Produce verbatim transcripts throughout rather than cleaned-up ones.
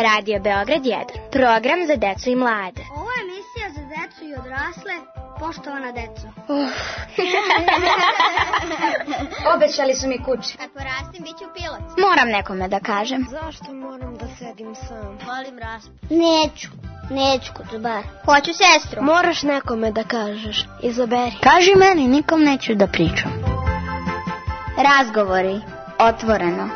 Radio Beograd jedan. Program za decu i mlade. Ovo je emisija za decu i odrasle. Poštovana deco. Uh. Obećali su mi kuće. Kad porastim, bit ću pilot. Moram nekome da kažem. Zašto moram da sedim sam? Volim raspu. Neću. Neću kod bar. Hoću sestru. Moraš nekome da kažeš. Izaberi. Kaži meni, nikom neću da pričam. Razgovori. Otvoreno.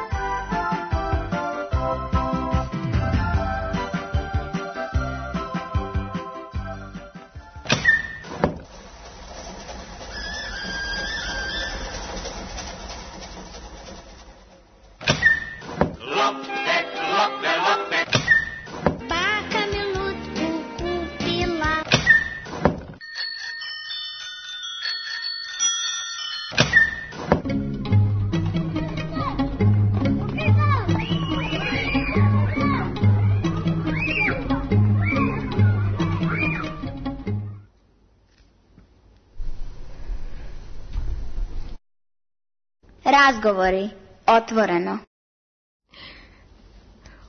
Razgovori. Otvoreno.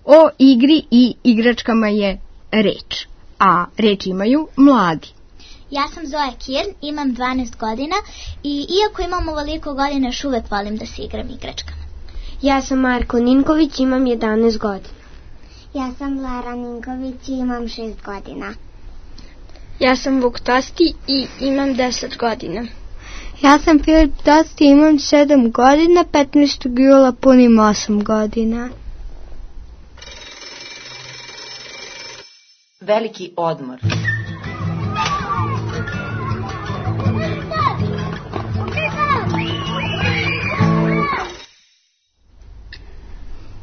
O igri i igračkama je reč, a reč imaju mladi. Ja sam Zoja Kirn, imam dvanaest godina i iako imam ovoliko godina, još uvek volim da se igram igračkama. Ja sam Marko Ninković, imam jedanaest godina. Ja sam Lara Ninković i imam šest godina. Ja sam Vuk Tosti i imam deset godina. Ja sam Filip Tosti, imam sedam godina, petnaestog jula punim osam godina. Veliki odmor.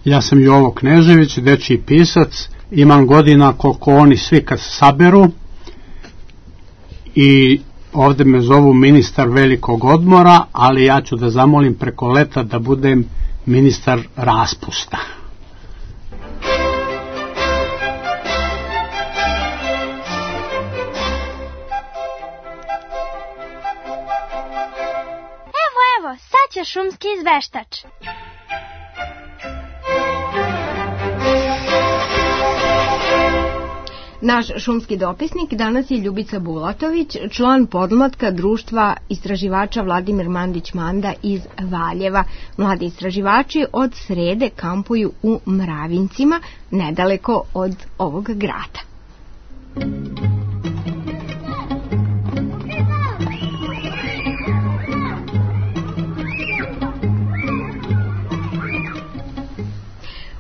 Ja sam Jovo Knežević, dečiji pisac, imam godina koliko oni svi kad se saberu i ovde me zovu ministar velikog odmora, ali ja ću da zamolim preko leta da budem ministar raspusta. Evo, evo, sad će šumski izveštač. Naš šumski dopisnik danas je Ljubica Bulatović, član podmlatka društva istraživača Vladimir Mandić-Manda iz Valjeva. Mladi istraživači od srede kampuju u Mravincima, nedaleko od ovog grada.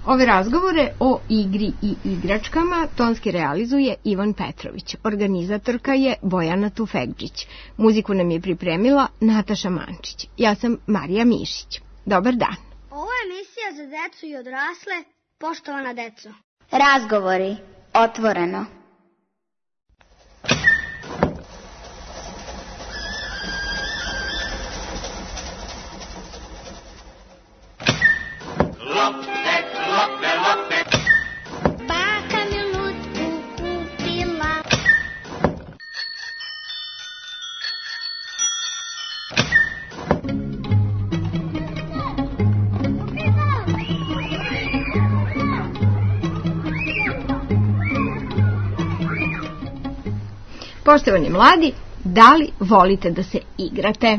Ove razgovore o igri i igračkama tonski realizuje Ivan Petrović. Organizatorka je Bojana Tufekđić. Muziku nam je pripremila Nataša Mančić. Ja sam Marija Mišić. Dobar dan. Ovo je emisija za decu i odrasle. Poštovana deco. Razgovori. Otvoreno. Poštovani mladi, da li volite da se igrate?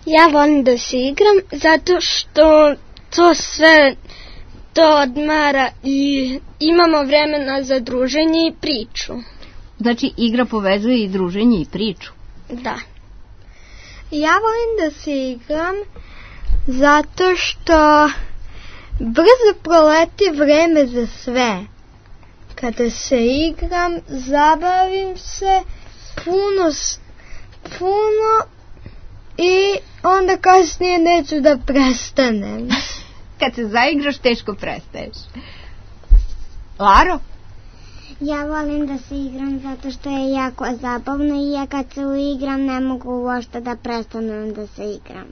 Ja volim da se igram zato što to sve to odmara i imamo vremena za druženje i priču. Znači igra povezuje i druženje i priču? Da. Ja volim da se igram zato što brzo proleti vreme za sve. Kada se igram, zabavim se puno, puno i onda kasnije neću da prestanem. Kad se zaigraš, teško prestaješ. Laro? Ja volim da se igram zato što je jako zabavno i ja kad se uigram ne mogu uopšte da prestanem da se igram.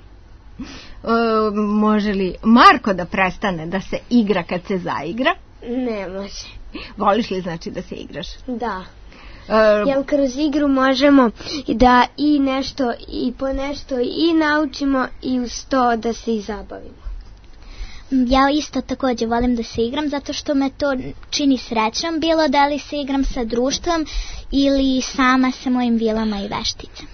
E, može li Marko da prestane da se igra kad se zaigra? Ne može. Voliš li znači da se igraš? Da. E, Jer kroz igru možemo da i nešto i po nešto i naučimo i uz to da se i zabavimo. Ja isto također volim da se igram zato što me to čini srećom, bilo da li se igram sa društvom ili sama sa mojim vilama i vešticama.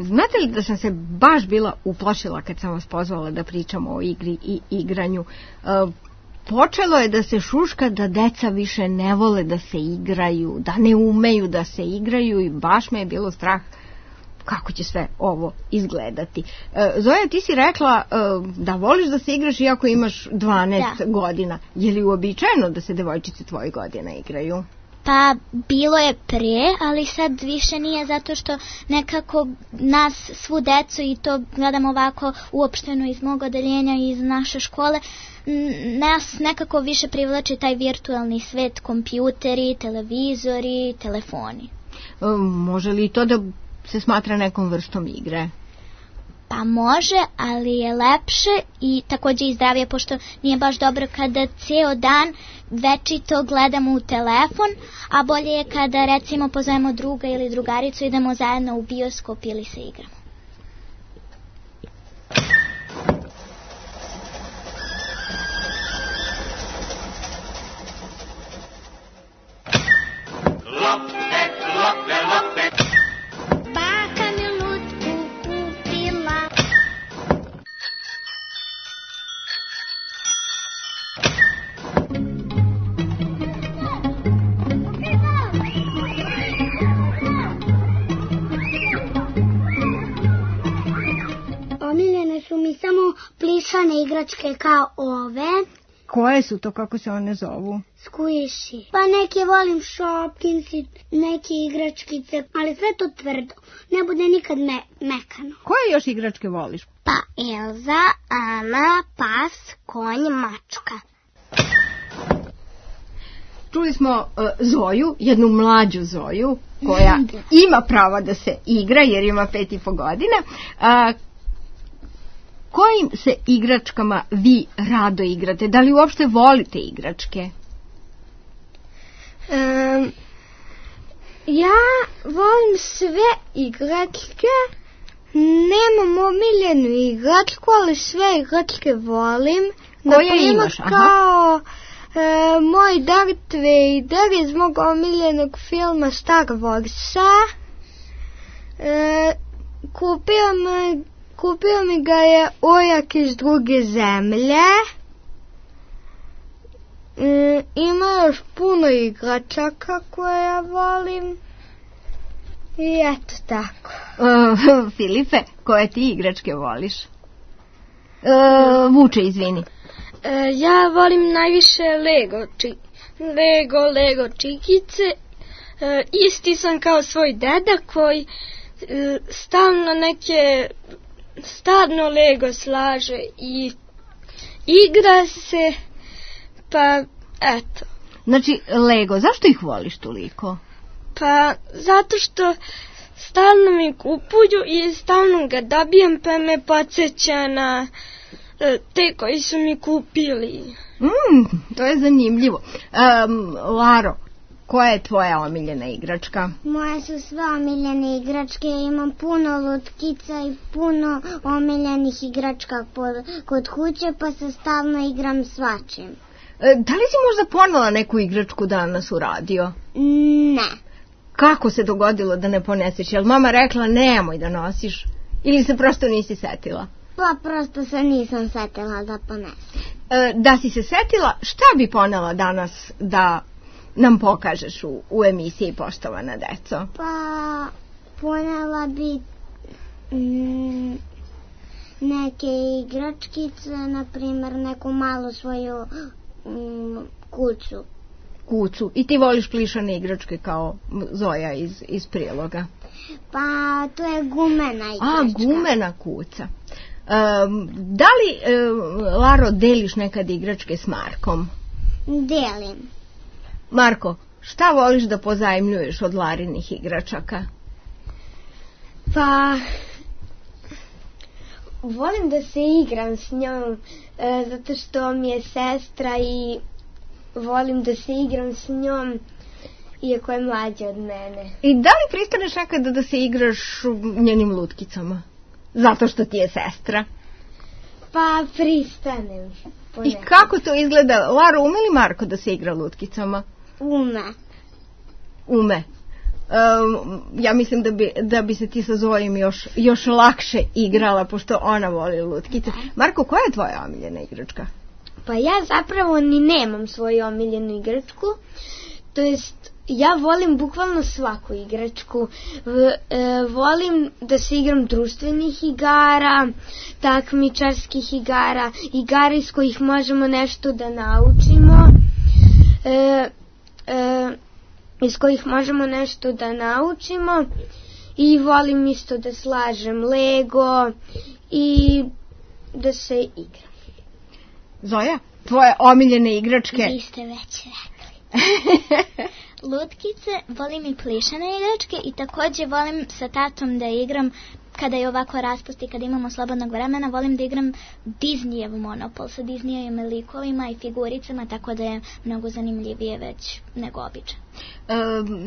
Znate li da sam se baš bila uplašila kad sam vas pozvala da pričamo o igri i igranju? Počelo je da se šuška da deca više ne vole da se igraju, da ne umeju da se igraju i baš me je bilo strah kako će sve ovo izgledati. Zoja, ti si rekla da voliš da se igraš iako imaš dvanaest da. godina. Je li uobičajeno da se devojčice tvojih godina igraju? Pa bilo je pre, ali sad više nije zato što nekako nas, svu decu, i to gledam ovako uopšteno iz mog odeljenja i iz naše škole, nas nekako više privlači taj virtualni svet, kompjuteri, televizori, telefoni. E, može li to da se smatra nekom vrstom igre? Pa može, ali je lepše i također i zdravije, pošto nije baš dobro kada cijel dan večito gledamo u telefon, a bolje je kada recimo pozovemo druga ili drugaricu, idemo zajedno u bioskop ili se igramo. Plišane igračke kao ove. Koje su to, kako se one zovu? Squishy. Pa neke volim Shopkins i neke igračkice, ali sve to tvrdo. Ne bude nikad me, mekano. Koje još igračke voliš? Pa Elza, Ana, pas, konj, mačka. Čuli smo uh, Zoju, jednu mlađu Zoju, koja ima pravo da se igra jer ima pet i po godina. Uh, Kojim se igračkama vi rado igrate? Da li uopšte volite igračke? Um, ja volim sve igračke. Nemam omiljenu igračku, ali sve igračke volim. Koje imaš? Aha. Kao e, moj Darth Vader iz mog omiljenog filma Star Warsa. E, kupio me Kupio mi ga je ujak iz druge zemlje. E, ima još puno igračaka koje ja volim. I eto tako. Uh, Filipe, koje ti igračke voliš? Uh, Vuče, izvini. Uh, ja volim najviše Lego, či, Lego, Lego čikice. Uh, isti sam kao svoj deda koji uh, stalno neke... Stvarno Lego slaže i igra se, pa eto. Znači, Lego, zašto ih voliš toliko? Pa zato što stalno mi kupuju i stalno ga dobijem, pa me podsjeća na te koji su mi kupili. Mm, to je zanimljivo. Um, Laro, koja je tvoja omiljena igračka? Moje su sve omiljene igračke. Imam puno lutkica i puno omiljenih igračka kod kuće, pa se stalno igram svačim. E, da li si možda ponela neku igračku danas u radio? Ne. Kako se dogodilo da ne poneseš? Jel mama rekla nemoj da nosiš? Ili se prosto nisi setila? Pa prosto se nisam setila da ponesem. E, da si se setila, šta bi ponela danas da nam pokažeš u, u emisiji Poštovana deco? Pa ponela bi mm, neke igračkice, na primjer neku malu svoju mm, kuću. Kuću. I ti voliš plišane igračke kao Zoja iz, iz priloga? Pa to je gumena igračka. A, gumena kuća. Um, da li, um, Laro, deliš nekad igračke s Markom? Delim. Marko, šta voliš da pozajmljuješ od Larinih igračaka? Pa, volim da se igram s njom, e, zato što mi je sestra i volim da se igram s njom, iako je mlađa od mene. I da li pristaneš nekada da se igraš njenim lutkicama? Zato što ti je sestra? Pa pristanem. I kako to izgleda? Lara, ume li Marko da se igra lutkicama? Ume. Ume. Um, ja mislim da bi, da bi se ti sa Zojim još, još lakše igrala, pošto ona voli lutkice. Marko, koja je tvoja omiljena igračka? Pa ja zapravo ni nemam svoju omiljenu igračku. To jest, ja volim bukvalno svaku igračku. V, e, volim da se igram društvenih igara, takmičarskih igara, igara iz kojih možemo nešto da naučimo. E, e, iz kojih možemo nešto da naučimo i volim isto da slažem Lego i da se igram. Zoja, tvoje omiljene igračke? Vi ste već rekli. Lutkice, volim i plišane igračke i također volim sa tatom da igram kada je ovako raspusti, kada imamo slobodnog vremena, volim da igram Disneyev Monopol sa Disneyevim likovima i figuricama, tako da je mnogo zanimljivije već nego obično. E,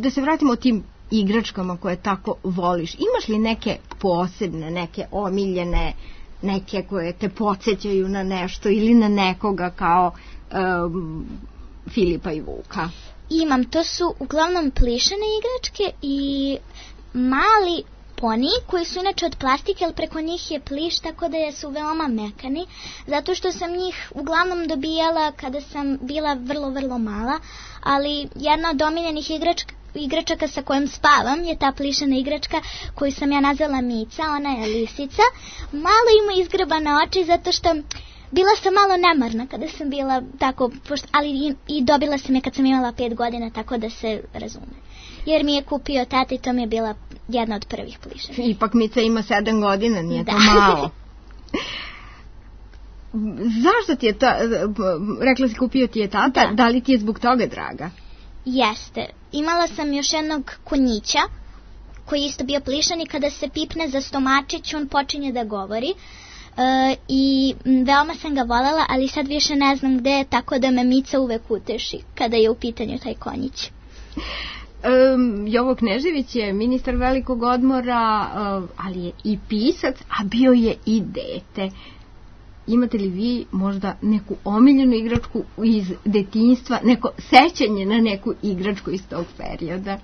da se vratimo tim igračkama koje tako voliš. Imaš li neke posebne, neke omiljene, neke koje te podsjećaju na nešto ili na nekoga kao um, Filipa i Vuka? Imam, to su uglavnom plišane igračke i mali poni koji su inače od plastike, ali preko njih je pliš, tako da su veoma mekani, zato što sam njih uglavnom dobijala kada sam bila vrlo, vrlo mala, ali jedna od omiljenih igračka igračaka sa kojom spavam je ta plišana igračka koju sam ja nazvala Mica, ona je lisica. Malo ima izgrebane oči zato što bila sam malo nemarna kada sam bila tako, ali i, i dobila sam je kad sam imala pet godina, tako da se razume. Jer mi je kupio tata i to mi je bila jedna od prvih plišana. Ipak Mica ima sedam godina, nije da. To malo. Zašto ti je ta, rekla si kupio ti je tata, da. Da li ti je zbog toga draga? Jeste. Imala sam još jednog konjića koji je isto bio plišan i kada se pipne za stomačić on počinje da govori. E, i veoma sam ga voljela, ali sad više ne znam gde je, tako da me Mica uvek uteši kada je u pitanju taj konjić. Um, Jovo Knežević je ministar velikog odmora, uh, ali je i pisac, a bio je i dete. Imate li vi možda neku omiljenu igračku iz detinjstva, neko sećanje na neku igračku iz tog perioda?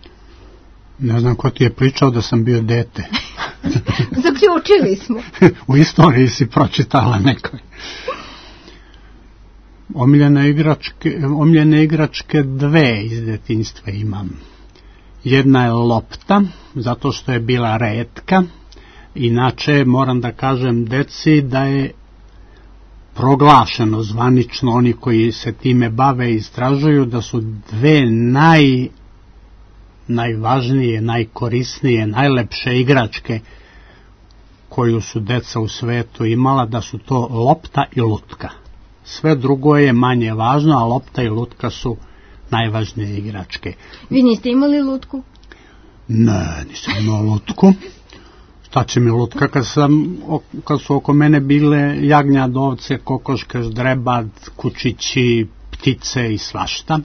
Ne znam ko ti je pričao da sam bio dete. Zaključili smo. U istoriji si pročitala nekoj. Omiljene igračke, omiljene igračke dve iz detinjstva imam. Jedna je lopta, zato što je bila retka. Inače, moram da kažem deci da je proglašeno zvanično, oni koji se time bave i istražuju, da su dve naj, najvažnije, najkorisnije, najlepše igračke koju su deca u svetu imala, da su to lopta i lutka. Sve drugo je manje važno, a lopta i lutka su najvažnije igračke. Vi niste imali lutku? Ne, nisam imao lutku. Šta će mi lutka kad, sam, kad su oko mene bile jagnjad, ovce, kokoške, ždrebad, kučići, ptice i svašta.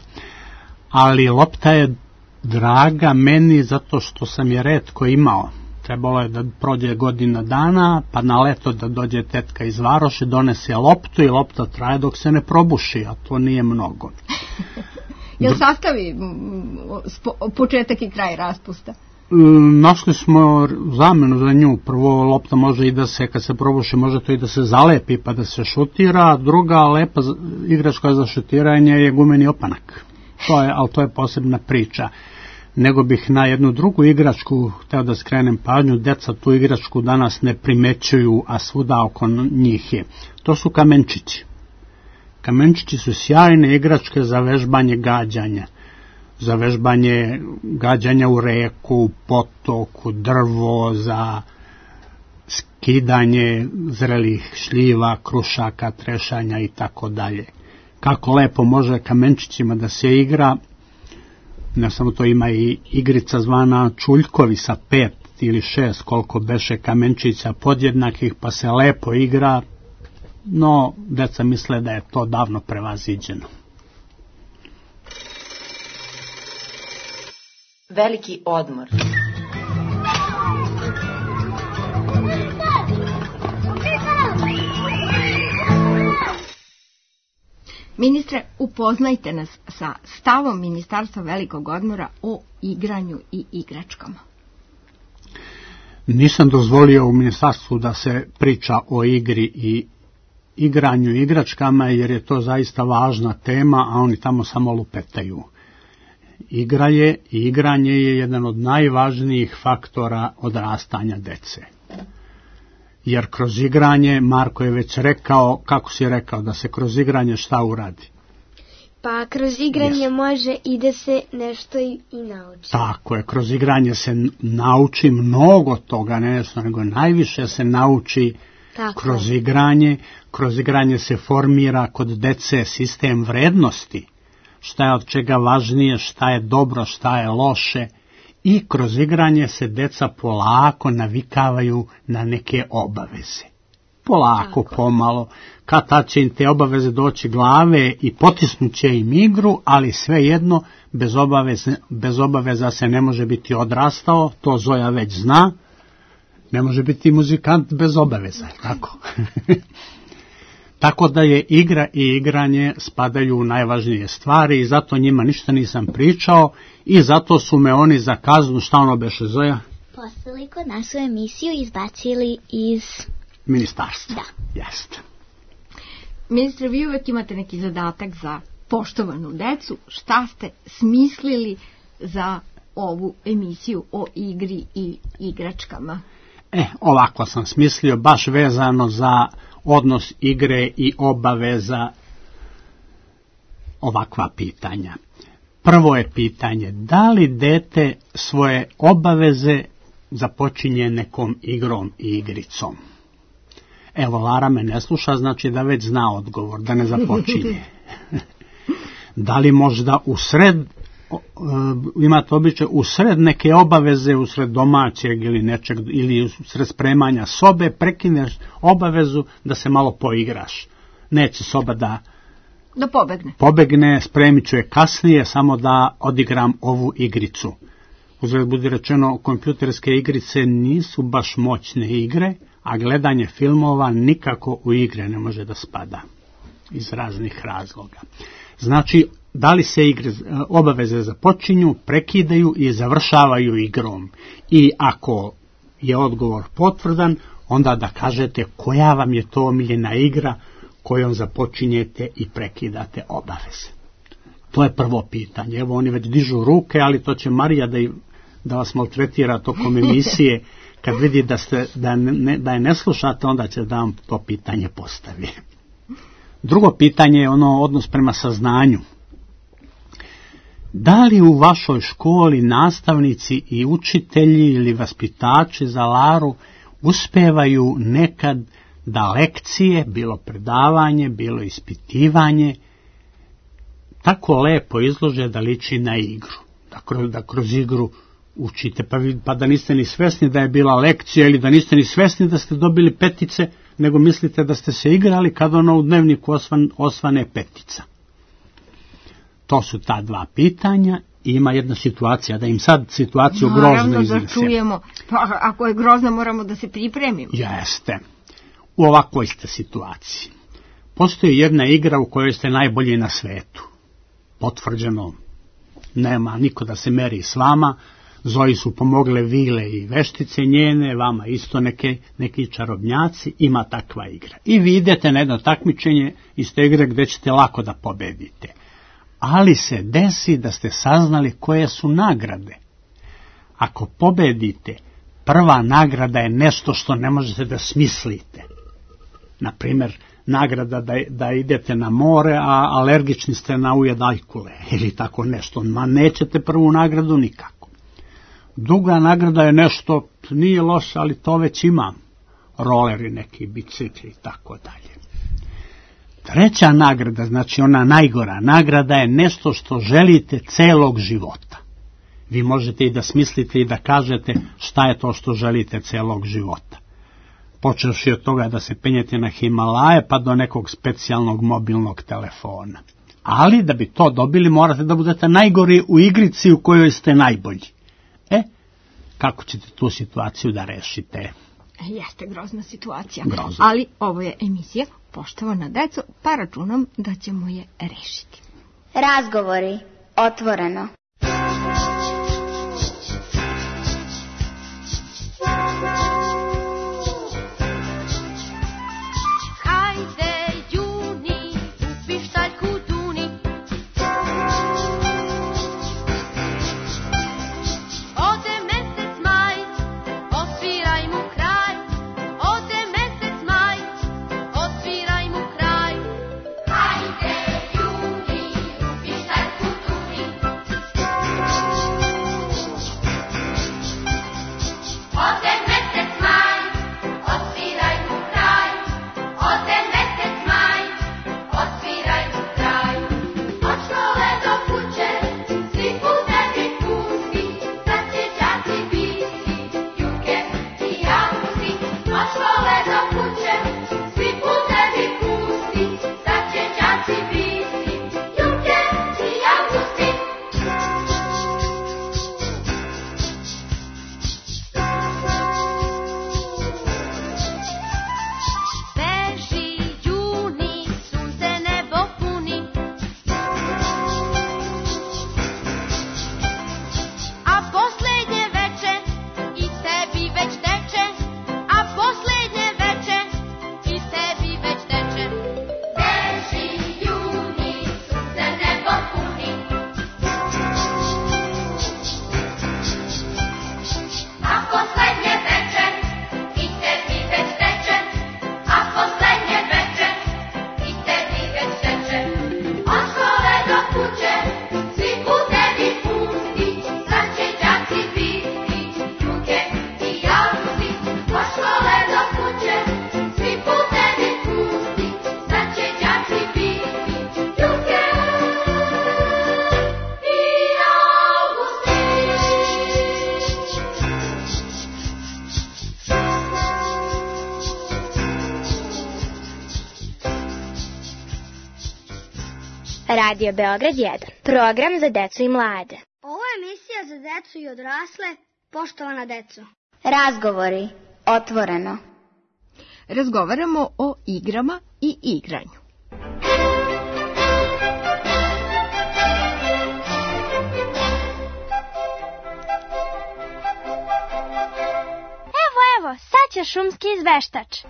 Ali lopta je draga meni zato što sam je retko imao. Trebalo je da prođe godina dana, pa na leto da dođe tetka iz varoši, donese loptu i lopta traje dok se ne probuši, a to nije mnogo. Jel sastavi početak i kraj raspusta? Našli smo zamenu za nju. Prvo, lopta može i da se, kad se probuši, može to i da se zalepi pa da se šutira. Druga lepa igračka za šutiranje je gumeni opanak. To je, ali to je posebna priča. Nego bih na jednu drugu igračku hteo da skrenem pažnju. Deca tu igračku danas ne primećuju, a svuda oko njih je. To su kamenčići. Kamenčići su sjajne igračke za vežbanje gađanja. Za vežbanje gađanja u reku, potoku, drvo, za skidanje zrelih šljiva, krušaka, trešanja i tako dalje. Kako lepo može kamenčićima da se igra. Ne samo to, ima i igrica zvana čuljkovi sa pet ili šest, koliko beše kamenčića podjednakih, pa se lepo igra, no deca misle da je to davno prevaziđeno. Veliki odmor. Ministre, upoznajte nas sa stavom Ministarstva velikog odmora o igranju i igračkama. Nisam dozvolio u ministarstvu da se priča o igri i igranju i igračkama, jer je to zaista važna tema, a oni tamo samo lupetaju. Igra je i igranje je jedan od najvažnijih faktora odrastanja dece. Jer kroz igranje, Marko je već rekao, kako si rekao, da se kroz igranje šta uradi? Pa kroz igranje yes. može i da se nešto i, i nauči. Tako je, kroz igranje se nauči mnogo toga, ne nešto, nego najviše se nauči Tako kroz je. igranje. Kroz igranje se formira kod dece sistem vrednosti, šta je od čega važnije, šta je dobro, šta je loše. I kroz igranje se deca polako navikavaju na neke obaveze. Polako, Tako. pomalo, kad tad će im te obaveze doći glave i potisnuće im igru, ali svejedno bez obaveze, bez obaveza se ne može biti odrastao, to Zoja već zna, ne može biti muzikant bez obaveza, tako? Tako da je igra i igranje spadaju u najvažnije stvari i zato njima ništa nisam pričao i zato su me oni za kaznu, šta ono beše Zoja? Poslali kod nas u emisiju i izbacili iz ministarstva. Da. Jeste. Ministre, vi uvek imate neki zadatak za poštovanu decu. Šta ste smislili za ovu emisiju o igri i igračkama? E, ovako sam smislio, baš vezano za odnos igre i obaveza, ovakva pitanja. Prvo je pitanje, da li dete svoje obaveze započinje nekom igrom i igricom? Evo, Lara me ne sluša, znači da već zna odgovor, da ne započinje. Da li možda u sred, imate običaj, u sred neke obaveze, u sred domaćeg ili nečeg, ili u sred spremanja sobe, prekineš obavezu da se malo poigraš. Neće soba da da pobegne. Pobegne, spremit ću je kasnije, samo da odigram ovu igricu. Uzgled budi rečeno, kompjuterske igrice nisu baš moćne igre, a gledanje filmova nikako u igre ne može da spada iz raznih razloga. Znači, da li se igre, obaveze započinju, prekidaju i završavaju igrom. I ako je odgovor potvrdan, onda da kažete koja vam je to omiljena igra kojom započinjete i prekidate obaveze. To je prvo pitanje. Evo, oni već dižu ruke, ali to će Marija da, da vas maltretira tokom emisije. Kad vidi da, ste, da, ne, da je ne slušate, onda će da vam to pitanje postavi. Drugo pitanje je ono odnos prema saznanju. Da li u vašoj školi nastavnici i učitelji ili vaspitači za Laru uspevaju nekad da lekcije, bilo predavanje, bilo ispitivanje, tako lepo izlože da liči na igru, da kroz, da kroz igru učite, pa, pa da niste ni svesni da je bila lekcija ili da niste ni svesni da ste dobili petice, nego mislite da ste se igrali kad ono u dnevniku osvan, osvane petica. To su ta dva pitanja i ima jedna situacija, da im sad situaciju grozno iznesem. Naravno da čujemo, pa ako je grozno moramo da se pripremimo. Jeste. U ovakvoj ste situaciji. Postoji jedna igra u kojoj ste najbolji na svetu. Potvrđeno, nema niko da se meri s vama, Zoji su pomogle vile i veštice njene, vama isto neke, neki čarobnjaci, ima takva igra. I vi idete na jedno takmičenje iz te igre gdje ćete lako da pobedite. Ali se desi da ste saznali koje su nagrade. Ako pobedite, prva nagrada je nešto što ne možete da smislite. Naprimjer, nagrada da, da idete na more, a alergični ste na ujed ajkule, ili tako nešto. Ma nećete prvu nagradu nikako. Druga nagrada je nešto, nije loše, ali to već imam. Roleri, neki bicikli i tako dalje. Treća nagrada, znači ona najgora nagrada, je nešto što želite celog života. Vi možete i da smislite i da kažete šta je to što želite celog života. Počevši od toga da se penjete na Himalaje pa do nekog specijalnog mobilnog telefona. Ali da bi to dobili morate da budete najgori u igrici u kojoj ste najbolji. E, kako ćete tu situaciju da rešite? Jeste grozna situacija. Grozna. Ali ovo je emisija poštovana deco, pa računam da ćemo je rešiti. Razgovori. Otvoreno. Radio Beograd jedan. Program za decu i mlade. Ovo je emisija za decu i odrasle, poštovana deco. Razgovori. Otvoreno. Razgovaramo o igrama i igranju. Evo, evo, sad će šumski izveštač.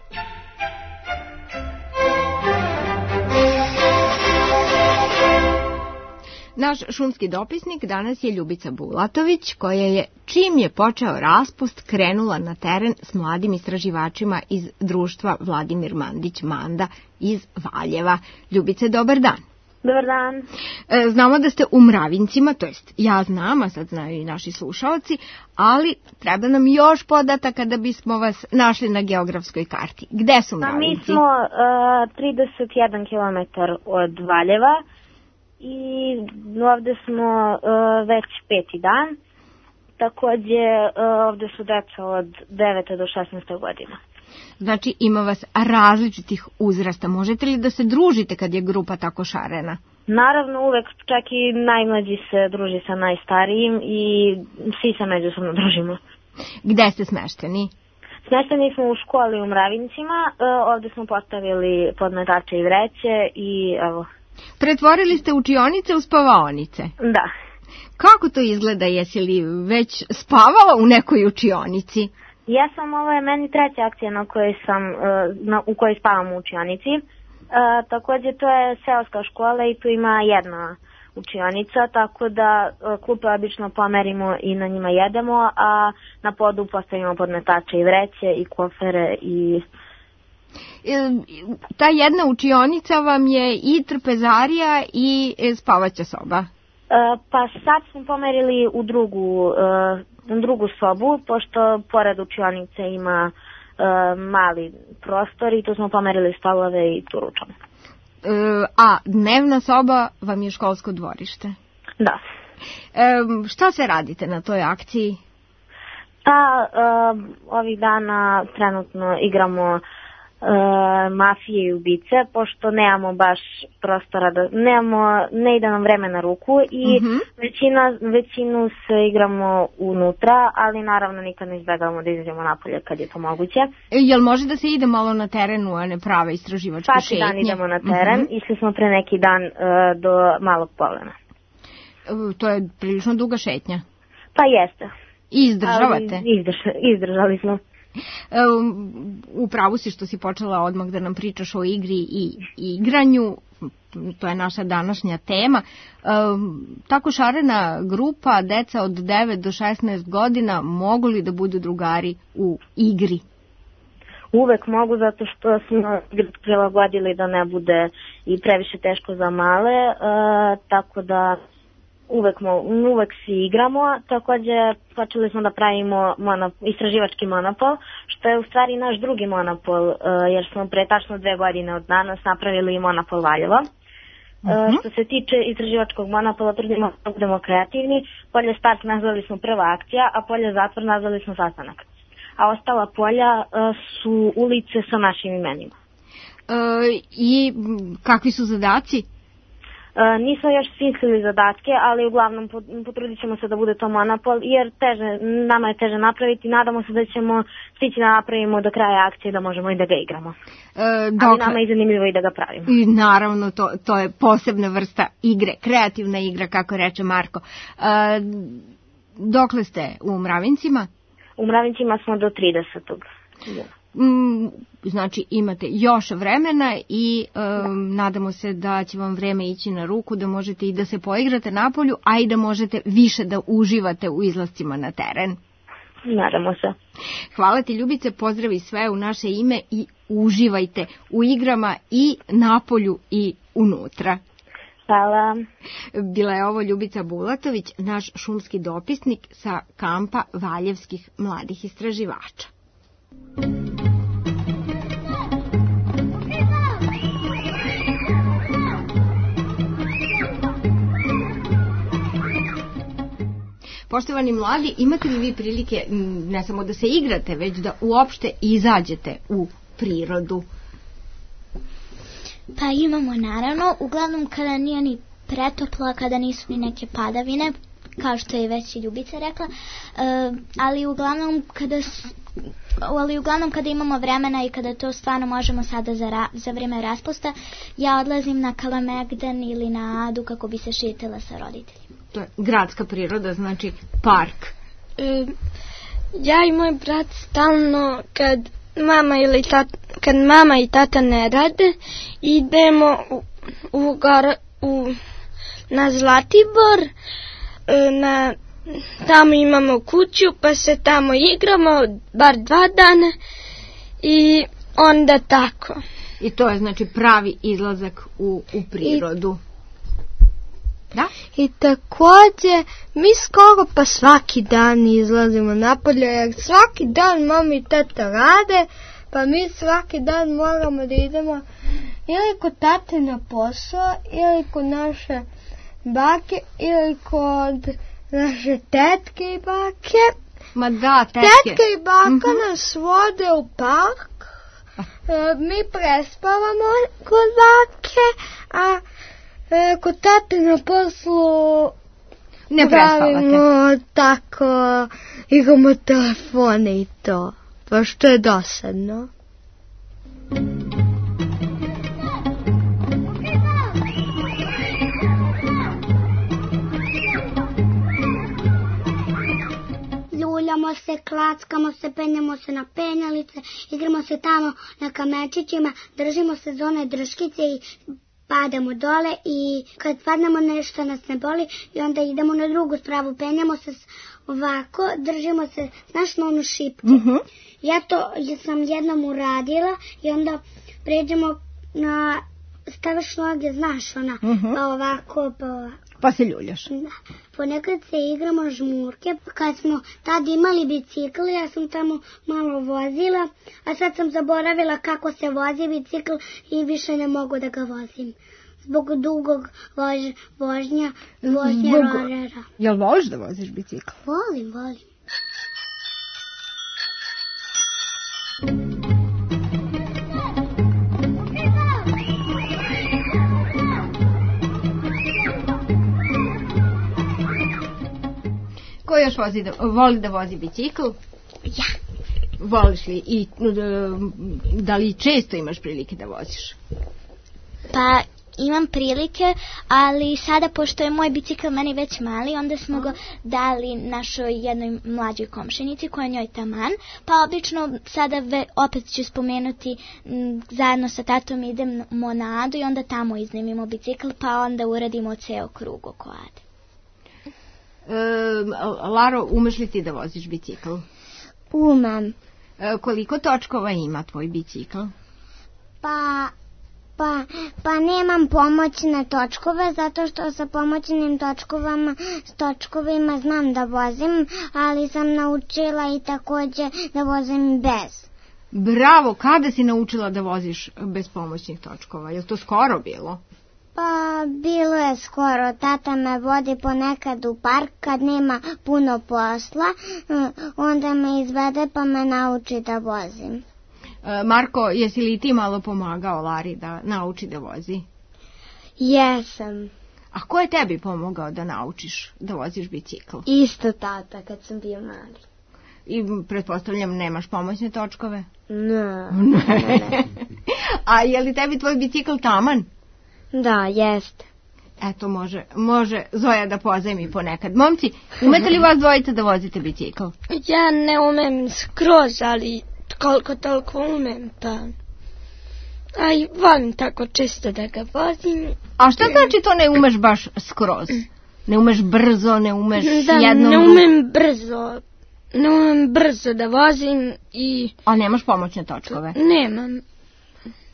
Naš šumski dopisnik danas je Ljubica Bulatović, koja je, čim je počeo raspust, krenula na teren s mladim istraživačima iz društva Vladimir Mandić Manda iz Valjeva. Ljubice, dobar dan. Dobar dan. E, znamo da ste u Mravincima, to jest ja znam, a sad znaju i naši slušaoci, ali treba nam još podataka da bismo vas našli na geografskoj karti. Gde su Mravinci? A mi smo uh, trideset jedan kilometar od Valjeva. I ovde smo uh, već peti dan, takođe uh, ovde su deca od devete do šesnaeste godina. Znači ima vas različitih uzrasta, možete li da se družite kad je grupa tako šarena? Naravno, uvek, čak i najmlađi se druži sa najstarijim i svi se međusobno družimo. Gde ste smešteni? Smešteni smo u školi u Mravincima, uh, ovde smo postavili podmetače i vreće i evo... Pretvorili ste učionice u spavaonice? Da. Kako to izgleda? Jesi li već spavala u nekoj učionici? Ja sam, ovo je meni treća akcija na kojoj sam, na, u kojoj spavam u učionici. E, također to je seoska škola i tu ima jedna učionica, tako da klupe obično pomerimo i na njima jedemo, a na podu postavimo podmetače i vreće i kofere i... Ta jedna učionica vam je i trpezarija i spavaća soba? E, pa sad smo pomerili u drugu, e, drugu sobu, pošto pored učionice ima e, mali prostor i tu smo pomerili stolove i tu ručamo. E, a dnevna soba vam je školsko dvorište? Da. E, šta se radite na toj akciji? Pa, e, ovih dana trenutno igramo mafije i ubice, pošto nemamo baš prostora, da, nemamo, ne ide nam vreme na ruku i mm-hmm. većina, većinu se igramo unutra, ali naravno nikad ne izbjegavamo da izađemo napolje kad je to moguće. E, jel može da se ide malo na terenu, a ne prave istraživačke Svaki šetnje? dan idemo na teren, mm-hmm. išli smo pre neki dan uh, do Malog Polena. E, to je prilično duga šetnja. Pa jeste. I izdržavate? Ali izdrž, izdržali smo. U pravu si što si počela odmah da nam pričaš o igri i igranju, to je naša današnja tema. Tako šarena grupa, deca od devet do šesnaest godina, mogu li da budu drugari u igri? Uvek mogu, zato što smo prilagodili da ne bude i previše teško za male, tako da Uvek, mo, uvek svi igramo, također počeli smo da pravimo monop, istraživački monopol, što je u stvari naš drugi monopol, uh, jer smo pre tačno dve godine od danas napravili monopol Valjevo. Uh-huh. Uh, što se tiče istraživačkog monopola, trudimo da budemo kreativni, polje start nazvali smo prva akcija, a polje zatvor nazvali smo sastanak. A ostala polja uh, su ulice sa našim imenima. Uh, I kakvi su zadaci? Uh, nismo još smislili zadatke, ali uglavnom potrudit ćemo se da bude to monopol, jer teže, nama je teže napraviti. Nadamo se da ćemo stići da napravimo do kraja akcije, da možemo i da ga igramo. E, dokle... Ali nama je zanimljivo i da ga pravimo. I naravno, to, to je posebna vrsta igre, kreativna igra, kako reče Marko. E, dokle ste u Mravincima? U Mravincima smo do tridesetog Mm, znači imate još vremena i um, nadamo se da će vam vreme ići na ruku, da možete i da se poigrate napolju, a i da možete više da uživate u izlascima na teren. Nadamo se. Hvala ti, Ljubice, pozdravi sve u naše ime i uživajte u igrama i napolju i unutra. Hvala. Bila je ovo Ljubica Bulatović, naš šumski dopisnik sa kampa Valjevskih mladih istraživača. Poštovani mladi, imate li vi prilike ne samo da se igrate, već da uopšte izađete u prirodu? Pa imamo naravno, uglavnom kada nije ni pretoplo, kada nisu ni neke padavine, kao što je već i Ljubica rekla, uh, ali uglavnom kada ali uglavnom kada imamo vremena i kada to stvarno možemo sada za, ra, za vrijeme raspusta, ja odlazim na Kalemegdan ili na Adu kako bi se šetila sa roditeljima. To je gradska priroda, znači park. E, ja i moj brat stalno kad mama ili tata, kad mama i tata ne rade, idemo u, u, gar, u na Zlatibor, e, na tamo imamo kuću, pa se tamo igramo bar dva dana i onda tako. I to je znači pravi izlazak u, u prirodu. I, da? I također mi skoro pa svaki dan izlazimo napolje, jer svaki dan mama i tata rade, pa mi svaki dan moramo da idemo ili kod tate na posao, ili kod naše bake, ili kod naše tetke i bake. Ma da, tetke. Tetke i baka mm-hmm. nas vode u park. E, mi prespavamo kod bake, a e, kod tate na poslu ne pravimo tako, igramo telefone i to. Pa što je dosadno. Ljuljamo se, klackamo se, penjamo se na penjalice, igramo se tamo na kamečićima, držimo se za one drškice i padamo dole i kad padnemo nešto nas ne boli i onda idemo na drugu spravu, penjamo se ovako, držimo se, znaš na onu šipku. Mm-hmm. Ja to ja sam jednom uradila i onda pređemo na, staviš noge, znaš ona, mm-hmm. pa ovako, pa ovako. Pa se ljuljaš. Da. Ponekad se igramo žmurke. Kad smo tad imali bicikl, ja sam tamo malo vozila, a sad sam zaboravila kako se vozi bicikl i više ne mogu da ga vozim. Zbog dugog vož, vožnja, vožnja Zbog... rolera. Jel voliš da voziš bicikl? Volim, volim. još vozi da, voli da vozi bicikl? Ja. Voliš li i da li često imaš prilike da voziš? Pa imam prilike, ali sada pošto je moj bicikl meni već mali, onda smo ga dali našoj jednoj mlađoj komšinici koja njoj taman, pa obično sada ve, opet ću spomenuti m, zajedno sa tatom idemo na Adu i onda tamo iznajmimo bicikl, pa onda uradimo ceo krug oko Ade. E, Laro, umeš li ti da voziš bicikl? Umem. E, koliko točkova ima tvoj bicikl? Pa... Pa, pa nemam pomoćne točkove, zato što sa pomoćnim točkovama, s točkovima znam da vozim, ali sam naučila i takođe da vozim bez. Bravo, kada si naučila da voziš bez pomoćnih točkova? Je li to skoro bilo? Pa, bilo je skoro. Tata me vodi ponekad u park kad nema puno posla, onda me izvede pa me nauči da vozim. Marko, jesi li ti malo pomagao Lari da nauči da vozi? Jesam. A ko je tebi pomogao da naučiš da voziš bicikl? Isto tata kad sam bio mali. I pretpostavljam nemaš pomoćne točkove? Ne. Ne. A je li tebi tvoj bicikl taman? Da, jeste. Eto, može, može Zoja da pozajmi ponekad. Momci, umete li vas dvojica da vozite bicikl? Ja ne umem skroz, ali koliko toliko umem, pa... Aj, volim tako često da ga vozim. A šta znači to ne umeš baš skroz? Ne umeš brzo, ne umeš da, jednom... Da, ne umem brzo. Ne umem brzo da vozim i... A nemaš pomoćne točkove? Nemam.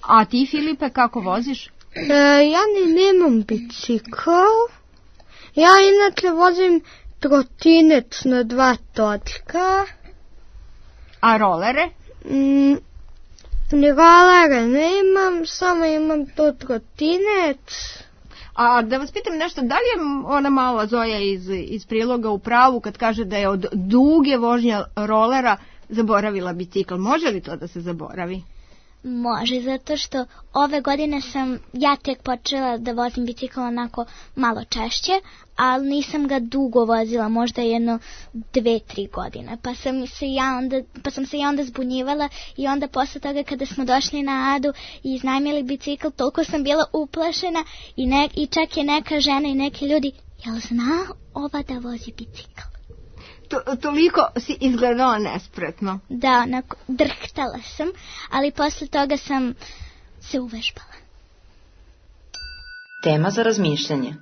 A ti, Filipe, kako voziš? E, ja ni nemam bicikl. Ja inače vozim trotinec na dva točka. A rolere? Mm, ni rolere nemam, samo imam to trotinec. A da vas pitam nešto, da li je ona mala Zoja iz, iz priloga u pravu kad kaže da je od duge vožnje rolera zaboravila bicikl? Može li to da se zaboravi? Može, zato što ove godine sam ja tek počela da vozim bicikl onako malo češće, ali nisam ga dugo vozila, možda jedno dve, tri godine. Pa sam se ja onda, pa sam se ja onda zbunjivala i onda posle toga kada smo došli na Adu i iznajmili bicikl, toliko sam bila uplašena i, ne, i čak je neka žena i neki ljudi, jel zna ova da vozi bicikl? To, toliko si izgledala nespretno. Da, onako, drhtala sam, ali posle toga sam se uvežbala. Tema za razmišljanje.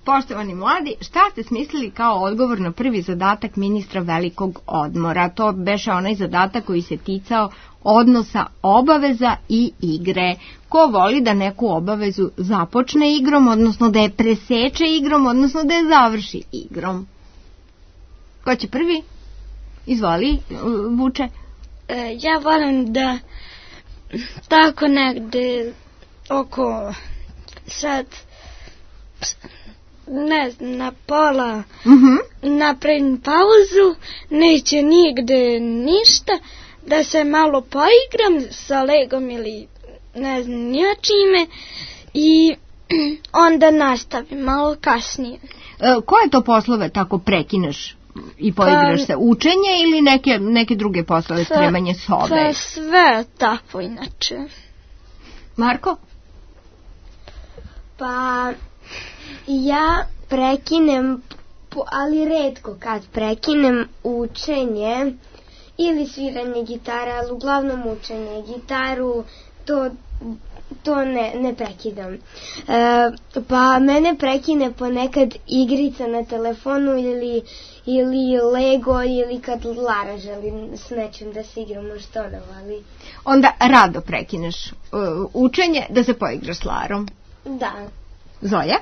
Poštovani mladi, šta ste smislili kao odgovor na prvi zadatak ministra velikog odmora? To beše onaj zadatak koji se ticao odnosa obaveza i igre. Ko voli da neku obavezu započne igrom, odnosno da je preseče igrom, odnosno da je završi igrom? Ko će prvi? Izvoli, Vuče. E, ja volim da tako negde oko sad ne znam, na pola uh-huh. napravim pauzu, neće nigde ništa, da se malo poigram sa Legom ili ne znam nija čime i onda nastavim malo kasnije. E, koje to poslove tako prekineš i poigraš pa, se? Učenje ili neke, neke druge poslove, spremanje sobe? Pa sve tako inače. Marko? Pa ja prekinem, ali retko kad prekinem učenje ili sviranje gitare, ali uglavnom učenje. Gitaru to, to ne, ne prekidam. E, pa mene prekine ponekad igrica na telefonu ili, ili Lego ili kad Lara želi s nečim da se igramo što ona voli. Onda rado prekineš uh, učenje da se poigraš s Larom. Da. Zoja?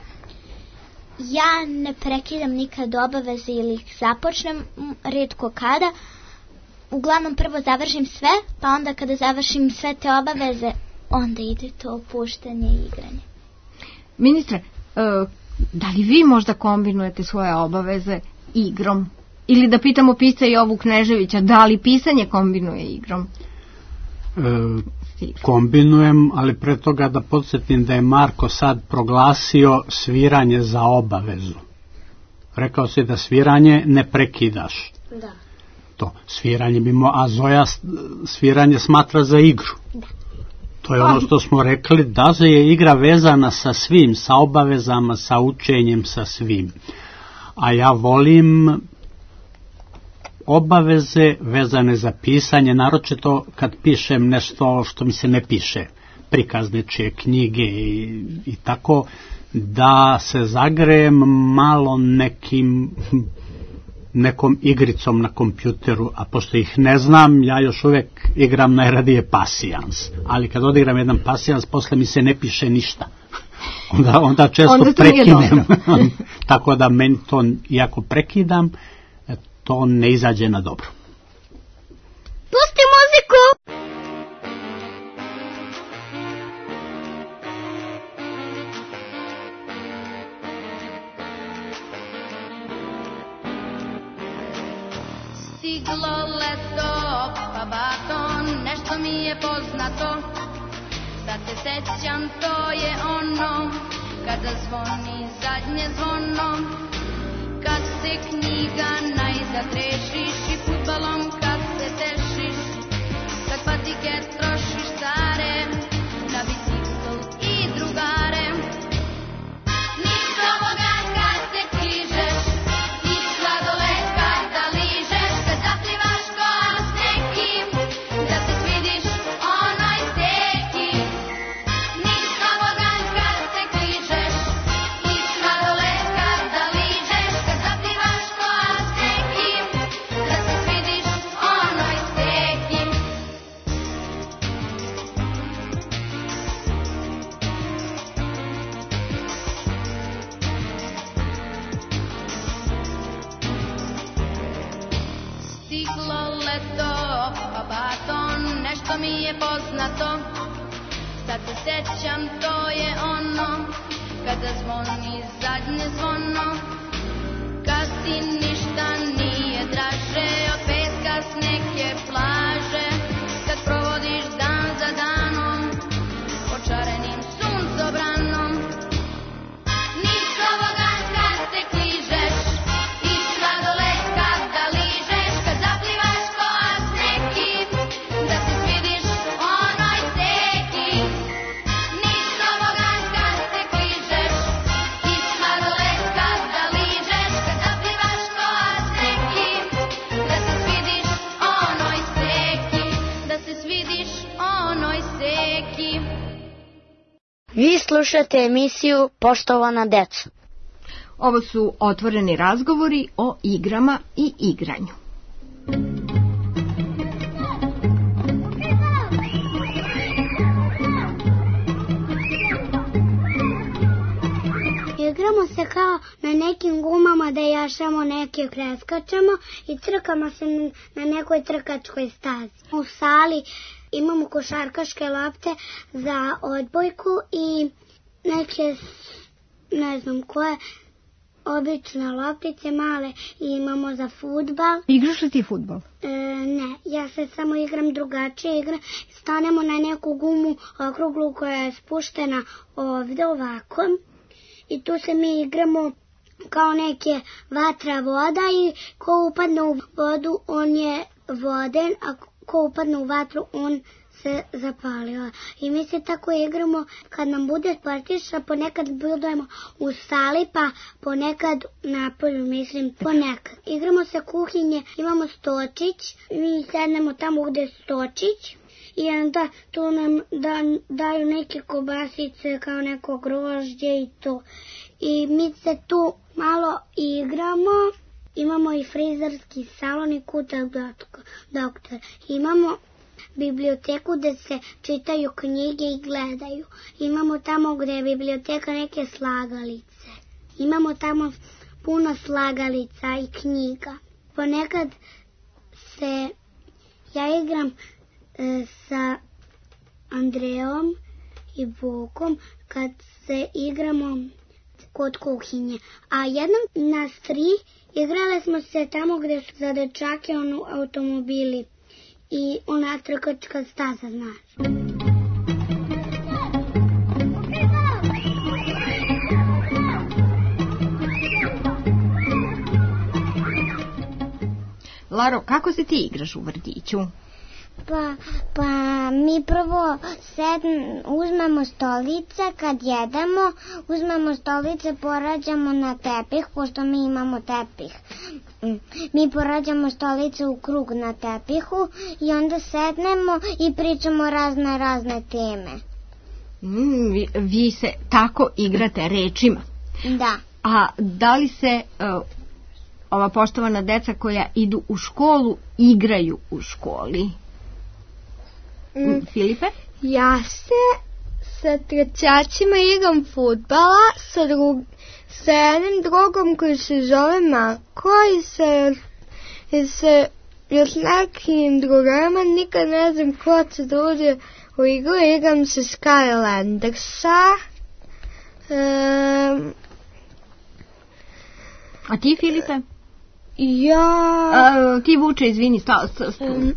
Ja ne prekidam nikad obaveze ili ih započnem, retko kada. Uglavnom prvo završim sve, pa onda kada završim sve te obaveze, onda ide to opuštanje i igranje. Ministre, uh, da li vi možda kombinujete svoje obaveze igrom? Ili da pitamo pisca Jovu Kneževića, da li pisanje kombinuje igrom? E, kombinujem, ali pre toga da podsjetim da je Marko sad proglasio sviranje za obavezu. Rekao si da sviranje ne prekidaš. Da. To, sviranje bimo, a Zoja sviranje smatra za igru. Da. To je ono što smo rekli, da je igra vezana sa svim, sa obavezama, sa učenjem, sa svim. A ja volim obaveze vezane za pisanje, naročito kad pišem nešto što mi se ne piše, prikaz nečije knjige i, i tako, da se zagrejem malo nekim nekom igricom na kompjuteru, a pošto ih ne znam, ja još uvijek igram najradije pasijans, ali kad odigram jedan pasijans, posle mi se ne piše ništa. Onda, onda često onda prekinem. Tako da meni to, iako prekidam, to ne izađe na dobro. Pusti muziku! Stiglo leto, pa baton, nešto mi je poznato. Sad se sećam, to je ono, kada zvoni zadnje zvono. Kad se knjiga najzad rešiš i fudbalom kad se tešiš. Kad patike trošiš stare, na bicikl i drugare. Niš ovoga kad se kližeš, i sladoled kada ližeš. Kad zaplivaš ko s nekim, da se svidiš onoj steki. Niš ovoga kad se kližeš, i sladoled kada ližeš. Kad zaplivaš ko s nekim, da se svidiš onoj steki. Stiglo leto, pa baton, nešto mi je poznato. Sad se sećam, to je ono, kada zvoni zadnje zvono. Kad ti ništa nije draže od peska s neke plaže. Kad provodiš dan za danom, očarenim suncobranom. Niš ovoga kad se kližeš, i sladoled kada ližeš. Kad zaplivaš ko s nekim, da se svidiš onoj steki. Niš ovoga kad se kližeš, i sladoled kada ližeš. Kad zaplivaš ko s nekim, da se svidiš onoj steki. Da se svidiš onoj steki. Vi slušate emisiju Poštovana deco. Ovo su otvoreni razgovori o igrama i igranju. Igramo se kao na nekim gumama da jašamo neke, preskačemo i trkamo se na nekoj trkačkoj stazi. U sali imamo košarkaške lopte za odbojku i neke, ne znam koje, obične loptice male i imamo za fudbal. Igraš li ti fudbal? E, ne, ja se samo igram drugačije. Igram, stanemo na neku gumu okruglu koja je spuštena ovdje ovako i tu se mi igramo kao neke vatra voda i ko upadne u vodu on je voden, a ko upadne u vatru on se zapalio. I mi se tako igramo kad nam bude sportiša, ponekad budemo u sali, pa ponekad napolju, mislim, ponekad. Igramo se kuhinje, imamo stočić, mi sednemo tamo gde je stočić i onda tu nam da, daju neke kobasice kao neko grožđe i to. I mi se tu malo igramo, imamo i frizerski salon i kutak doktor. Imamo biblioteku gde se čitaju knjige i gledaju. Imamo tamo gde je biblioteka neke slagalice. Imamo tamo puno slagalica i knjiga. Ponekad se ja igram e, sa Andreom i Vukom kad se igramo kod kuhinje. A jednom nas tri igrale smo se tamo gde su za dečake ono, automobili. I ona trkačka staza, znaš. Laro, kako se ti igraš u vrtiću? Pa, pa mi prvo sedm, uzmemo stolice kad jedemo, uzmemo stolice, porađamo na tepih, pošto mi imamo tepih. Mi porađamo stolice u krug na tepihu i onda sednemo i pričamo razne razne teme. Mm, vi, vi se tako igrate rečima. Da. A da li se uh, ova poštovana deca koja idu u školu igraju u školi? Mm. Filipe? Ja se sa trećacima igram fudbala sa, drug, sa jednim drugom koji se zove Marko i sa, i sa još nekim drugarima, nikad ne znam ko se druže u igru, igram se Skylandersa. Um, A ti, Filipe? Ja... A, ti, Vuče, izvini, sta, sta, sta. Um,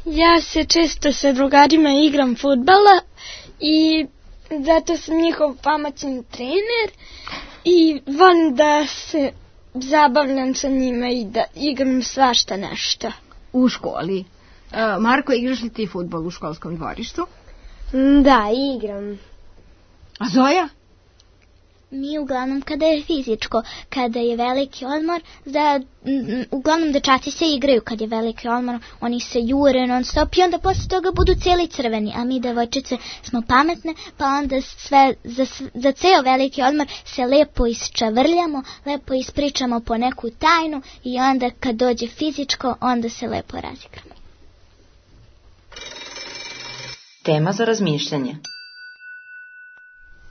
ja se često sa drugarima igram fudbala i zato sam njihov pametni trener i volim da se zabavljam sa njima i da igram svašta nešto. U školi. Uh, Marko, igraš li ti fudbal u školskom dvorištu? Da, igram. A Zoja? Mi uglavnom kada je fizičko, kada je veliki odmor, da, m, uglavnom dečaci se igraju kad je veliki odmor, oni se jure non stop i onda posle toga budu cijeli crveni, a mi devojčice smo pametne, pa onda sve, za, za ceo veliki odmor se lepo isčavrljamo, lepo ispričamo po neku tajnu i onda kad dođe fizičko, onda se lepo razigramo. Tema za razmišljanje.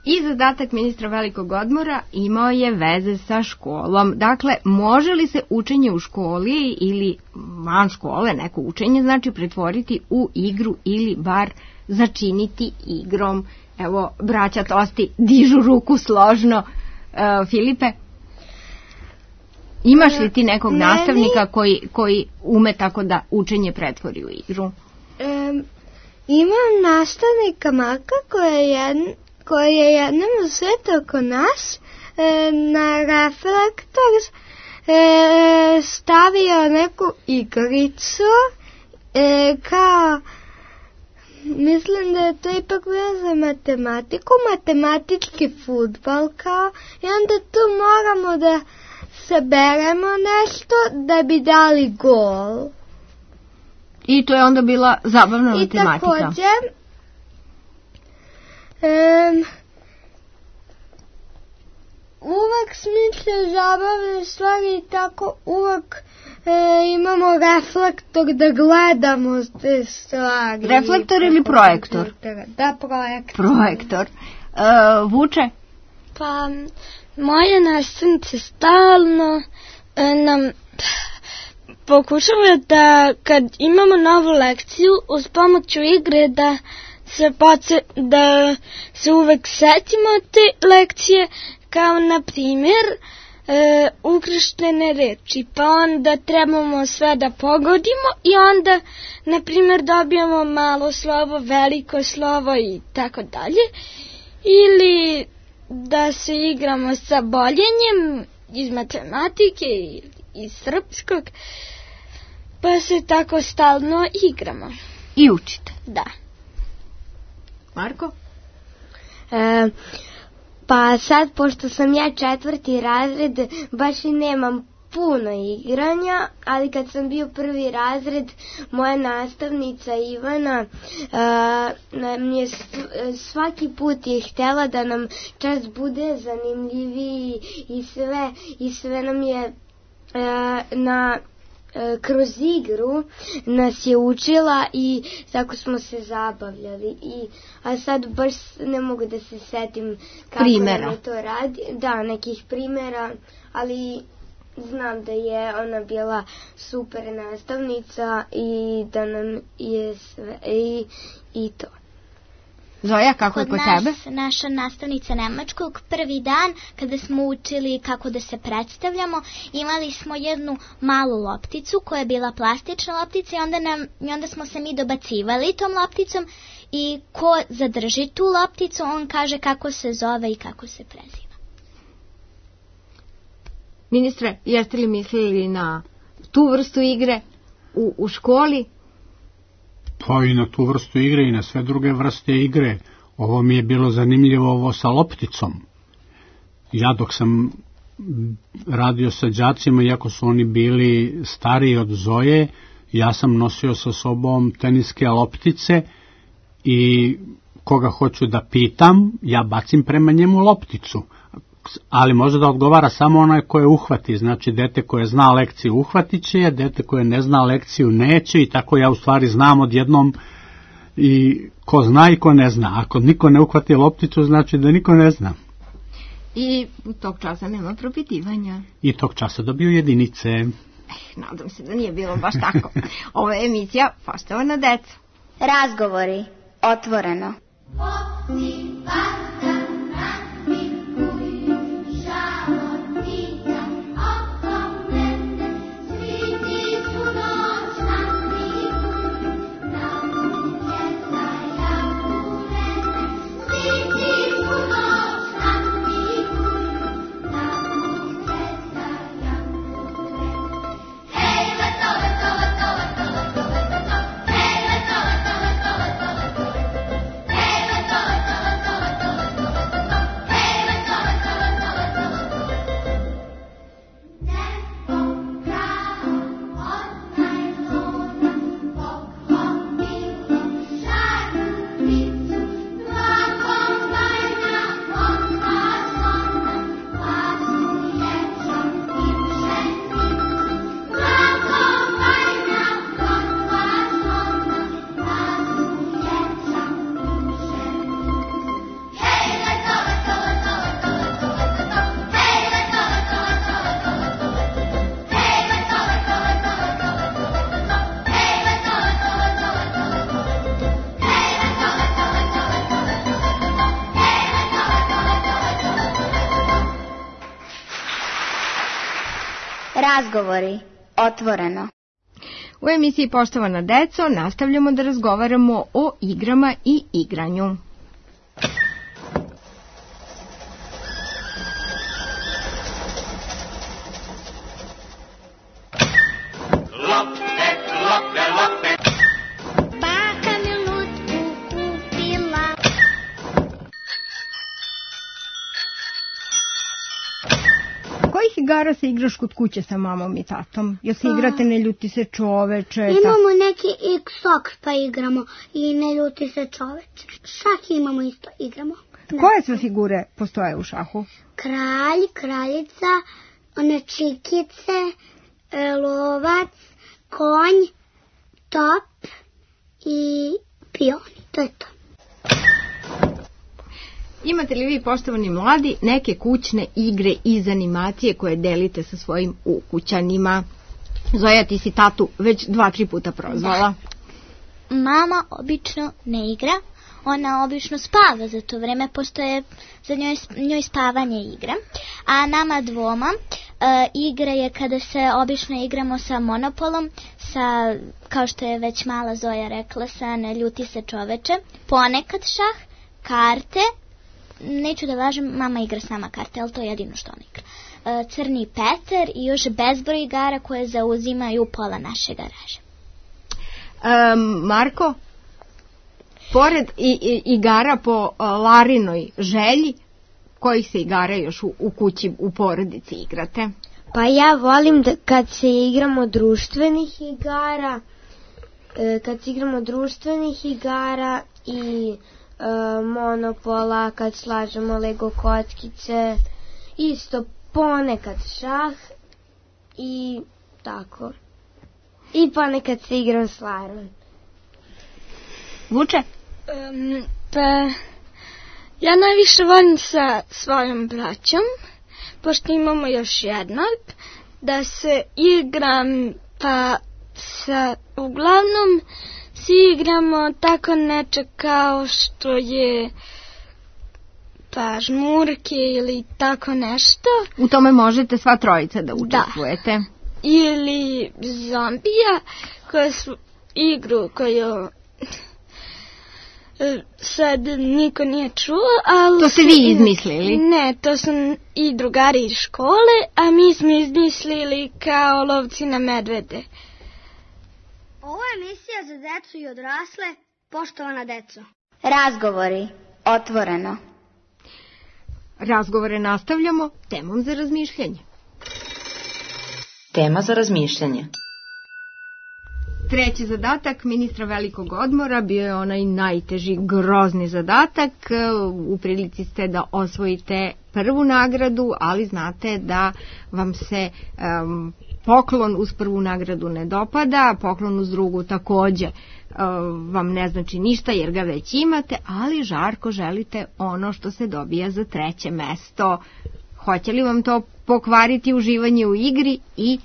I zadatak ministra velikog odmora imao je veze sa školom. Dakle, može li se učenje u školi ili van škole, neko učenje, znači pretvoriti u igru ili bar začiniti igrom? Evo, braća Tosti dižu ruku složno. Uh, Filipe, imaš li ti nekog Meni... nastavnika koji, koji ume tako da učenje pretvori u igru? Um, imam nastavnika Marka koja je jedna koji je jednom u svijetu oko nas e, na reflektor e, stavio neku igricu e, kao, mislim da je to ipak bilo za matematiku, matematički fudbal kao, i onda tu moramo da saberemo nešto da bi dali gol. I to je onda bila zabavna matematika. I također Um, uvek smišlja zabavne stvari i tako uvek e, imamo reflektor da gledamo te stvari. Reflektor ili projektor? Da, projektor. Projektor. Uh, Vuče? Pa, moje nastavnice stalno e, nam pokušava da kad imamo novu lekciju uz pomoću igre da se poce, da se uvek setimo te lekcije, kao na primjer e, ukrštene reči, pa onda trebamo sve da pogodimo i onda na primjer dobijamo malo slovo, veliko slovo i tako dalje, ili da se igramo sa boljenjem iz matematike i iz srpskog, pa se tako stalno igramo. I učite? Da. Marko? E, pa sad, pošto sam ja četvrti razred, baš i nemam puno igranja, ali kad sam bio prvi razred, moja nastavnica Ivana e, nam je svaki put je htjela da nam čas bude zanimljiviji i sve, i sve nam je e, na... kroz igru nas je učila i tako smo se zabavljali i a sad baš ne mogu da se setim kako primjera. je to radi, da, nekih primjera, ali znam da je ona bila super nastavnica i da nam je sve i, i to. Zoja, kako je kod tebe? Kod nas, naša nastavnica nemačkog, prvi dan kada smo učili kako da se predstavljamo, imali smo jednu malu lopticu koja je bila plastična loptica i onda, nam, i onda smo se mi dobacivali tom lopticom i ko zadrži tu lopticu, on kaže kako se zove i kako se preziva. Ministre, jeste li mislili na tu vrstu igre? u, u školi? Pa i na tu vrstu igre i na sve druge vrste igre. Ovo mi je bilo zanimljivo, ovo sa lopticom. Ja dok sam radio sa đacima, iako su oni bili stariji od Zoje, ja sam nosio sa sobom teniske loptice i koga hoću da pitam, ja bacim prema njemu lopticu. Ali može da odgovara samo onaj koje uhvati, znači dete koje zna lekciju uhvatit će je, dete koje ne zna lekciju neće, i tako ja u stvari znam odjednom i ko zna i ko ne zna. Ako niko ne uhvati lopticu, znači da niko ne zna. I u tog časa nema propitivanja. I tog časa dobiju jedinice. Eh, nadam se da nije bilo baš tako. Ovo je emisija Poštovana deca. Razgovori otvoreno. Razgovori otvoreno. U emisiji Poštovana deco nastavljamo da razgovaramo o igrama i igranju. Igara se igraš kod kuće sa mamom i tatom? Jel se igrate Ne ljuti se čoveče? Imamo neki X-Sox pa igramo i Ne ljuti se čoveče. Šah imamo isto, igramo. Koje sve figure postoje u šahu? Kralj, kraljica, one čikice, lovac, konj, top i pioni. To je to. Imate li vi, poštovani mladi, neke kućne igre iz animacije koje delite sa svojim ukućanima? Zoja, ti si tatu već dva, tri puta prozvala. Da. Mama obično ne igra, ona obično spava, za to vreme postoje za njoj, njoj spavanje igra. A nama dvoma e, igra je kada se obično igramo sa Monopolom, sa, kao što je već mala Zoja rekla, sa Ne ljuti se čoveče, ponekad šah, karte. Neću da lažem, mama igra s nama karte, ali to je jedino što ona igra. E, Crni Peter i još bezbroj igara koje zauzimaju pola naše garaže. E, Marko, pored i, i, igara po uh, Larinoj želji, kojih se igara još u, u kući, u porodici igrate? Pa ja volim da kad se igramo društvenih igara, e, kad se igramo društvenih igara i Monopola, kad slažemo Lego kockice, isto ponekad šah i tako. I ponekad se igram s Larom. Vuče? Um, pa, ja najviše volim sa svojom braćom, pošto imamo još jednog, da se igram, pa sa, uglavnom, si igramo tako neče kao što je pa žmurke ili tako nešto. U tome možete sva trojica da učestvujete. Da. Ili zombija, koja su igru koju sad niko nije čuo, ali... To ste vi izmislili? Ne, to su i drugari iz škole, a mi smo izmislili kao lovci na medvede. Ovo je emisija za decu i odrasle, poštovana deco. Razgovori, otvoreno. Razgovore nastavljamo temom za razmišljanje. Tema za razmišljanje. Treći zadatak ministra velikog odmora bio je onaj najteži, grozni zadatak. U prilici ste da osvojite prvu nagradu, ali znate da vam se um, poklon uz prvu nagradu ne dopada, poklon uz drugu takođe um, vam ne znači ništa jer ga već imate, ali žarko želite ono što se dobija za treće mesto. Hoće li vam to pokvariti uživanje u igri i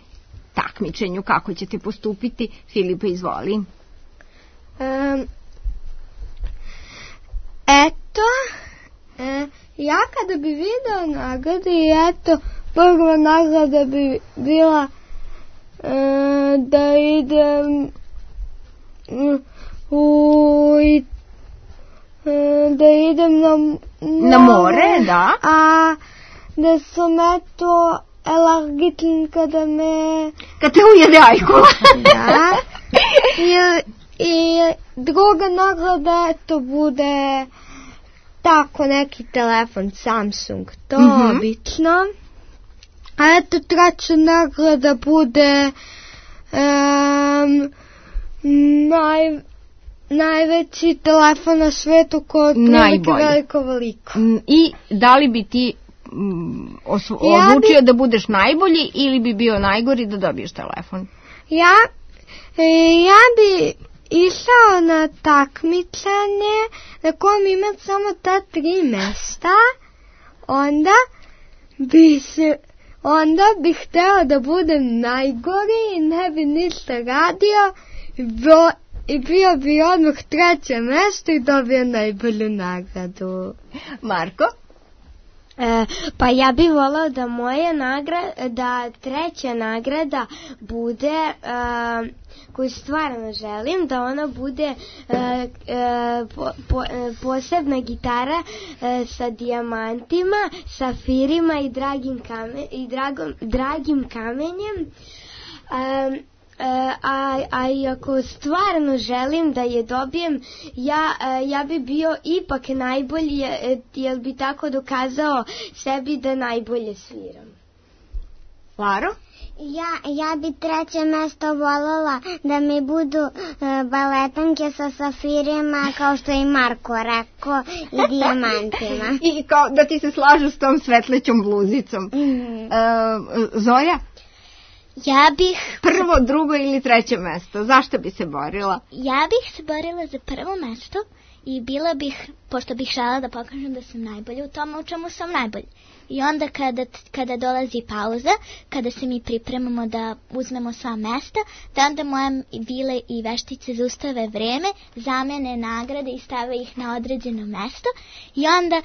takmičenju? Kako ćete postupiti? Filipe, izvoli. Um, eto, e, ja kada bi video nagrade i eto, prva nagrada bi bila e, da idem u e, da idem na more, na more, da. A da sam eto alergičan kada me... Kad te ujede ajkula. Da. I, I druga nagrada to bude tako neki telefon Samsung. To mm-hmm. obično. A eto treća nagrada bude um, naj, najveći telefon na svetu koji je veliko veliko. I da li bi ti Osvo, ja odlučio bi, da budeš najbolji ili bi bio najgori da dobiješ telefon? Ja, ja bi išao na takmičenje na kojem ima samo ta tri mesta, onda bi se, onda bi hteo da budem najgori i ne bi ništa radio i bio, i bio bi odmah treće mesto i dobio najbolju nagradu. Marko? E, pa ja bih volao da moja nagrada, da treća nagrada bude, e, koju stvarno želim, da ona bude e, e, po, po, e, posebna gitara e, sa dijamantima, safirima i dragim, kamen, i dragom, dragim kamenjem. E, a, a i ako stvarno želim da je dobijem, ja, ja bi bio ipak najbolji, jer bi tako dokazao sebi da najbolje sviram. Laro? Ja, ja bi treće mesto voljela da mi budu uh, baletanke sa safirima, kao što je Marko rekao, i dijamantima. I kao da ti se slažu s tom svetlećom bluzicom. Mm-hmm. uh, Zoja? Ja bih... Prvo, drugo ili treće mesto? Zašto bi se borila? Ja bih se borila za prvo mesto i bila bih, pošto bih žela da pokažem da sam najbolja u tome u čemu sam najbolja. I onda kada, kada dolazi pauza, kada se mi pripremamo da uzmemo sva mesta, da onda moje vile i veštice zaustave vreme, zamene nagrade i stave ih na određeno mesto i onda,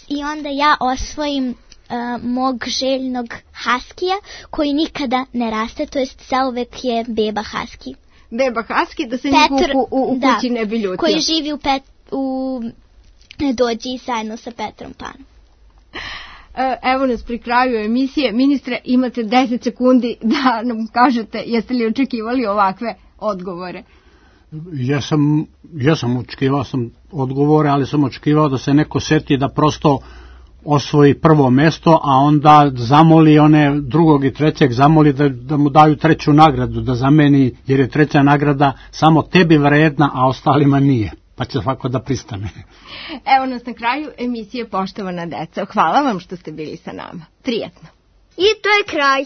i onda ja osvojim Uh, mog željnog haskija koji nikada ne raste, to jest zauvek je beba haski. Beba haski, da se niko u, u, u da, kući ne bi ljutio. Koji živi u, pet, u dođi zajedno sa Petrom Panom. Evo nas pri kraju emisije. Ministre, imate deset sekundi da nam kažete jeste li očekivali ovakve odgovore. Ja sam, ja sam očekivao sam odgovore, ali sam očekivao da se neko seti da prosto osvoji prvo mesto, a onda zamoli one drugog i trećeg, zamoli da, da mu daju treću nagradu, da zameni, jer je treća nagrada samo tebi vredna, a ostalima nije. Pa će svako da pristane. Evo nas na kraju emisije Poštovana deco. Hvala vam što ste bili sa nama. Prijetno. I to je kraj.